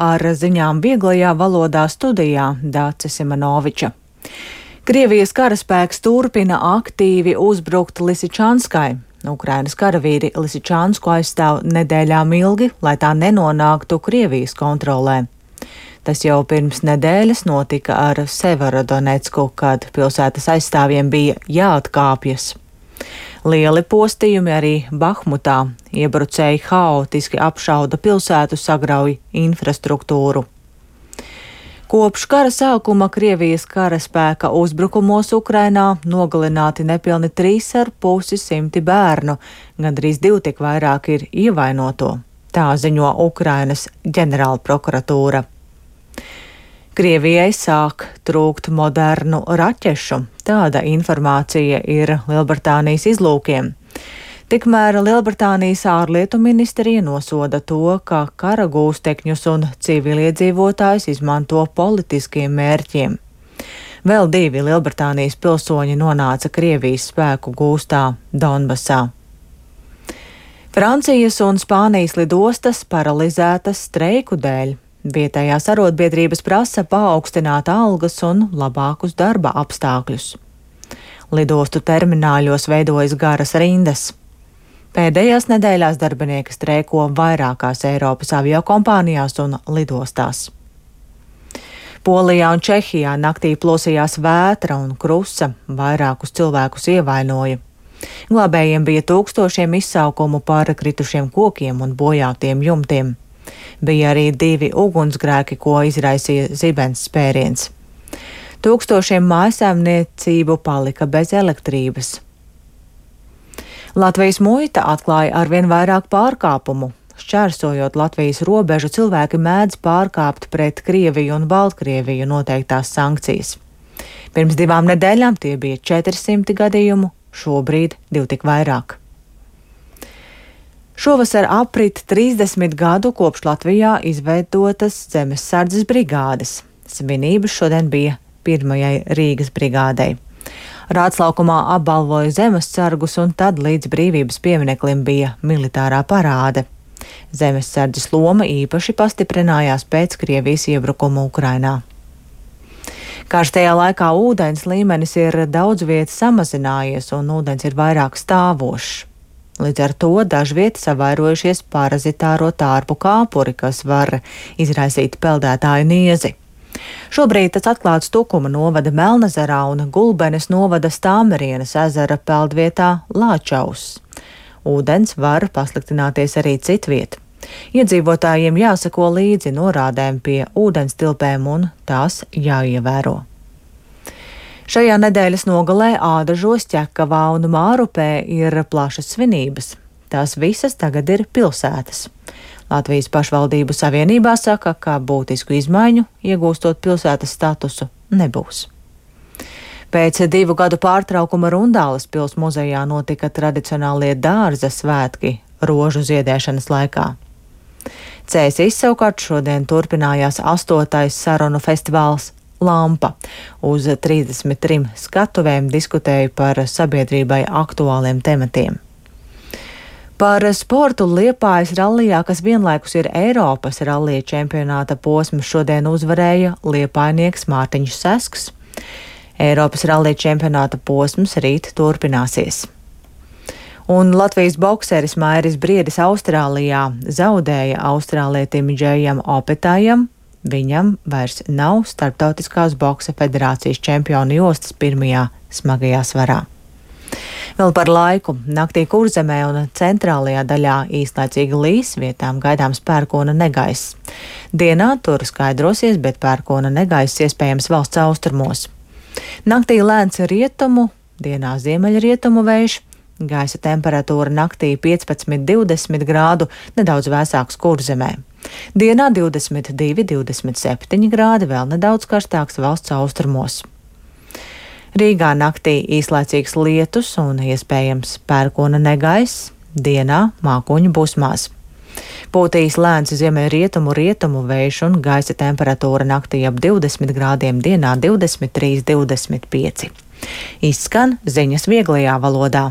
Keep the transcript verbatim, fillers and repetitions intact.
Ar ziņām vieglajā valodā studijā Dāce Simanoviča. Krievijas karaspēks turpina aktīvi uzbrukt Lisičanskai. Ukrainas karavīri Lisičansku aizstāv nedēļām ilgi, lai tā nenonāktu Krievijas kontrolē. Tas jau pirms nedēļas notika ar Severodonecku, kad pilsētas aizstāvjiem bija jāatkāpjas. Lieli postījumi arī Bahmutā. Iebrucēji haotiski apšauda pilsētu, sagrauj infrastruktūru. Kopš kara sākuma Krievijas karaspēka uzbrukumos Ukrainā nogalināti nepilni trīs ar pusi simti bērnu, gandrīz divi tik vairāk ir ievainoto. Tā ziņo Ukrainas ģenerālprokuratūra. Krievijai sāk trūkt modernu raķešu. Tāda informācija ir Lielbritānijas izlūkiem. Tikmēr Lielbritānijas ārlietu ministrija nosoda to, ka kara gūstekņus un civiliedzīvotājus izmanto politiskiem mērķiem. Vēl divi Lielbritānijas pilsoņi nonāca Krievijas spēku gūstā Donbasā. Francijas un Spānijas lidostas paralizētas streiku dēļ. Vietējās arotbiedrības prasa paaugstināt algas un labākus darba apstākļus. Lidostu termināļos veidojas garas rindas. Pēdējās nedēļās darbinieki streiko vairākās Eiropas aviokompānijās un lidostās. Polijā un Čehijā naktī plosījās vētra un krusa, vairākus cilvēkus ievainoja. Glābējiem bija tūkstošiem izsaukumu par kritušiem kokiem un bojātiem jumtiem. Bija arī divi ugunsgrēki, ko izraisīja zibens spēriens. Tūkstošiem mājsaimniecību palika bez elektrības. Latvijas muita atklāja arvien vairāk pārkāpumu. Šķērsojot Latvijas robežu, cilvēki mēdz pārkāpt pret Krieviju un Baltkrieviju noteiktās sankcijas. Pirms divām nedēļām tie bija četri simti gadījumu, šobrīd divi tik vairāk. Šovasar aprit trīsdesmit gadu kopš Latvijā izveidotas zemessardzes brigādes. Svinības šodien bija pirmajai Rīgas brigādei. Rātslaukumā apbalvoja zemessargus, un tad līdz brīvības piemineklim bija militārā parāde. Zemessardzes loma īpaši pastiprinājās pēc Krievijas iebrukuma Ukrainā. Karstajā laikā ūdens līmenis ir daudz vietas samazinājies, un ūdens ir vairāk stāvošs. Līdz ar to dažviet savairojušies parazitāro tārpu kāpuri, kas var izraisīt peldētāju niezi. Šobrīd tas atklāts Tukuma novada Melnezerā un Gulbenes novada Stāmerienes ezera peldvietā Lāčaus. Ūdens var pasliktināties arī citviet. Iedzīvotājiem jāsako līdzi norādēm pie ūdens tilpēm un tās jāievēro. Šajā nedēļas nogalē Ādažos, Ķekavā un Mārupē ir plašas svinības. Tās visas tagad ir pilsētas. Latvijas pašvaldību savienībā saka, ka būtisku izmaiņu, iegūstot pilsētas statusu, nebūs. Pēc divu gadu pārtraukuma Rundāles pils muzejā notika tradicionālie dārza svētki rožu ziedēšanas laikā. Cēsīs savukārt šodien turpinājās astotais sarunu festivāls Lampa. Uz trīsdesmit trim skatuvēm diskutēja par sabiedrībai aktuāliem tematiem. Par sportu Liepājas rallijā, kas vienlaikus ir Eiropas rallija čempionāta posms, šodien uzvarēja liepājnieks Mārtiņš Sesks. Eiropas rallija čempionāta posms rīt turpināsies. Un Latvijas bokseris Mairis Briedis Austrālijā zaudēja austrālietim Džejam Opetājam. Viņam vairs nav Starptautiskās boksa federācijas čempionu jostas pirmajā smagajā svarā. Vēl par laiku. Naktī Kurzemē un centrālajā daļā īslaicīgi līs, vietām gaidāms pērkona negaiss. Dienā tur skaidrosies, bet pērkona negaiss iespējams valsts austrumos. Naktī lēns rietumu, dienā ziemeļrietumu vējš. Gaisa temperatūra naktī piecpadsmit līdz divdesmit grādu, nedaudz vēsāks Kurzemē. Dienā divdesmit divi līdz divdesmit septiņi grādi, vēl nedaudz karstāks valsts austrumos. Rīgā naktī īslaicīgs lietus un iespējams pērkona negaiss, dienā mākoņu busmās. Pūtīs lēns ziemeļrietumu rietumu vējš un gaisa temperatūra naktī ap divdesmit grādiem, dienā divdesmit trīs līdz divdesmit pieci. Izskan ziņas vieglajā valodā.